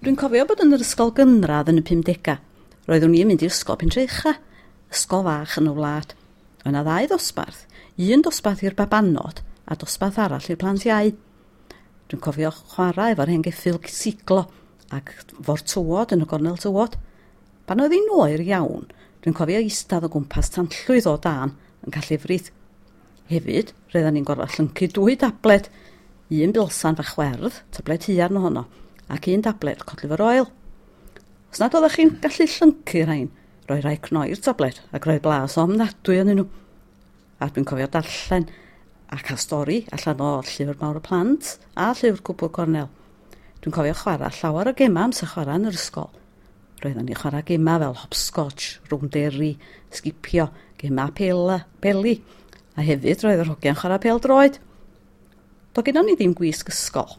Dwi'n cofio bod yn yr ysgol gynradd yn y 50au. Roeddwn i'n mynd i ysgol Pentre Ucha, ysgol fach yn y wlad. Oedd 'na ddau ddosbarth, un dosbarth i'r babanod a dosbarth arall i'r plant iau. Dwi'n cofio chwarae efo'r hen geffyl siglo ac fo'r tywod yn y gornel tywod. Pan oedd hi'n oer iawn, dwi'n cofio eistedd o gwmpas tanllwyth o dân yn cael llefrith. Hefyd, roedden ni'n gorfod llyncu dwy dabled, un bilsan fach werdd, tabled haearn ohono, ac un dabled cod liver oil. Os nad oeddech chi'n gallu llyncu rhain, roi rhai cnoi'r tabled ac roi blas ofnadwy arnyn nhw. A dwi'n cofio darllen a cael stori allan o Llyfr Mawr y Plant a Llyfr Cwpwrdd Cornel. Dwi'n cofio chwarae llawer o gemau amser chwarae yn yr ysgol. Roedden ni'n chwarae gemau fel hopscotch, rownderi, sgipio, gemau pela, peli, a hefyd roedd yr hogiau'n chwarae pêl droed. Do gennon ni ddim gwisg ysgol.